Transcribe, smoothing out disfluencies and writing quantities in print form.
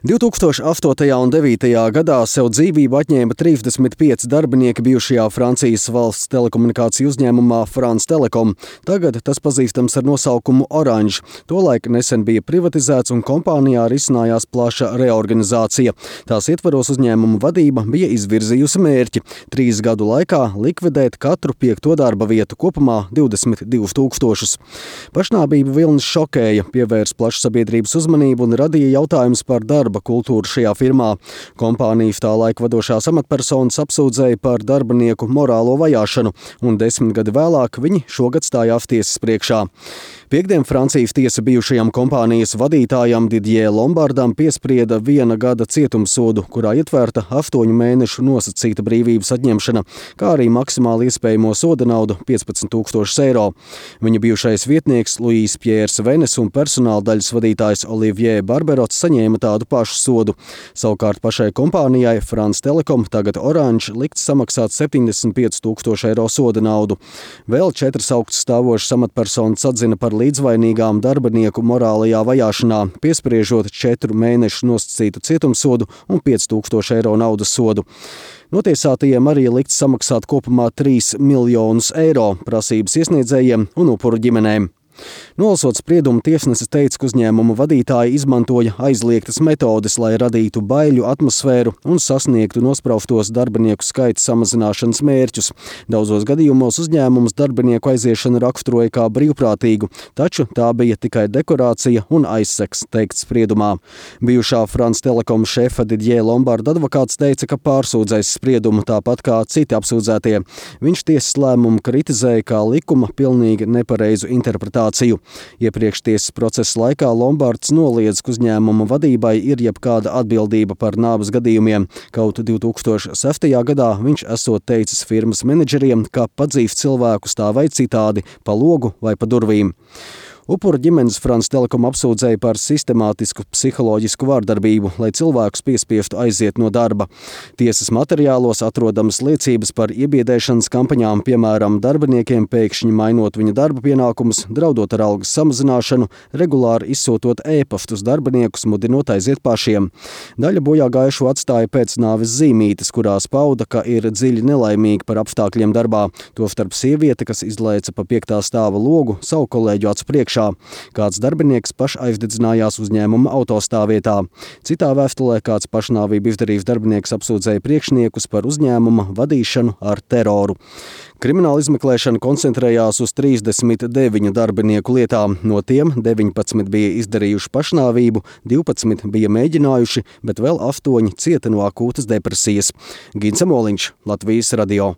2008. un 2009. gadā sev dzīvību atņēma 35 darbinieki bijušajā Francijas valsts telekomunikāciju uzņēmumā France Telecom. Tagad tas pazīstams ar nosaukumu Orange. Tolaik nesen bija privatizēts un kompānijā risinājās plaša reorganizācija. Tās ietvaros uzņēmuma vadība bija izvirzījusi mērķi 3 gadu laikā likvidēt katru 5. darba vietu, kopumā 22 000. Pašnāvību vilnis šokēja, pievērs plašu sabiedrības uzmanību un radīja jautājumus par darba kultūru šajā firmā. Kompānijas tā laika vadošās amatpersonas apsūdzēja par darbinieku morālo vajāšanu, un 10 gadi vēlāk viņi šogad stājās tiesas priekšā. Piektdien Francijas tiesa bijušajam kompānijas vadītājam Didier Lombardam piesprieda 1 gada cietumsodu, kurā ietverta 8 mēnešu nosacīta brīvības atņemšana, kā arī maksimāli iespējamo soda naudu 15 000 eiro. Viņa bijušais vietnieks Louis Pierre Venes un personāla daļas vadītājs Olivier Barberots saņēma tādu pašu sodu. Savukārt pašai kompānijai France Telecom, tagad Orange, likts samaksāt 75 000 eiro soda naudu. Vēl 4 augststāvošas amatpersonas atzina par līdzvainīgām darbinieku morālajā vajāšanā, piespriežot 4 mēnešu nosacītu cietumsodu un 5000 eiro naudas sodu. Notiesātajiem arī likts samaksāt kopumā 3 miljonus eiro prasības iesniedzējiem un upuru ģimenēm. Nolasot spriedumu, tiesnesis teica, ka uzņēmuma vadītāji izmantoja aizliegtas metodes, lai radītu baiļu atmosfēru un sasniegtu nospraustos darbinieku skaita samazināšanas mērķus. Daudzos gadījumos uzņēmums darbinieku aiziešanu raksturoja kā brīvprātīgu, taču tā bija tikai dekorācija un aizsegs, teikts spriedumā. Bijušā France Telecom šefa Didier Lombarda advokāts teica, ka pārsūdzēs spriedumu tāpat kā citi apsūdzētie. Viņš tiesas lēmumu kritizēja kā likuma pilnīgi nepareizu interpretāciju. Iepriekš tiesas procesa laikā Lombards noliedz, ka uzņēmuma vadībai ir jebkāda atbildība par nāves gadījumiem. Kaut 2006. gadā viņš esot teicis firmas menedžeriem, ka padzīvs cilvēkus tā vai citādi pa logu vai pa durvīm. Upura ģimenes France Telecom apsūdzēja par sistemātisku psiholoģisku vārdarbību, lai cilvēkus piespiestu aiziet no darba. Tiesas materiālos atrodamas liecības par iebiedēšanas kampaņām, piemēram, darbiniekiem pēkšņi mainot viņa darba pienākumus, draudot ar algas samazināšanu, regulāri izsūtot e-pastus darbiniekus, mudinot aiziet pašiem. Daļa bojā gājušo atstāja pēc nāves zīmītes, kurās pauda, ka ir dziļi nelaimīgi par apstākļiem darbā. Tostarp sieviete, kas izlaica pa 5. stāva logu savu kolēģu acu priekšā. Kāds darbinieks pašaizdedzinājās uzņēmuma autostāvvietā. Citā vēstulē kāds pašnāvību izdarījis darbinieks apsūdzēja priekšniekus par uzņēmuma vadīšanu ar teroru. Krimināla izmeklēšana koncentrējās uz 39 darbinieku lietām. No tiem 19 bija izdarījuši pašnāvību, 12 bija mēģinājuši, bet vēl 8 cieta no akūtas depresijas. Gins Amoliņš, Latvijas radio.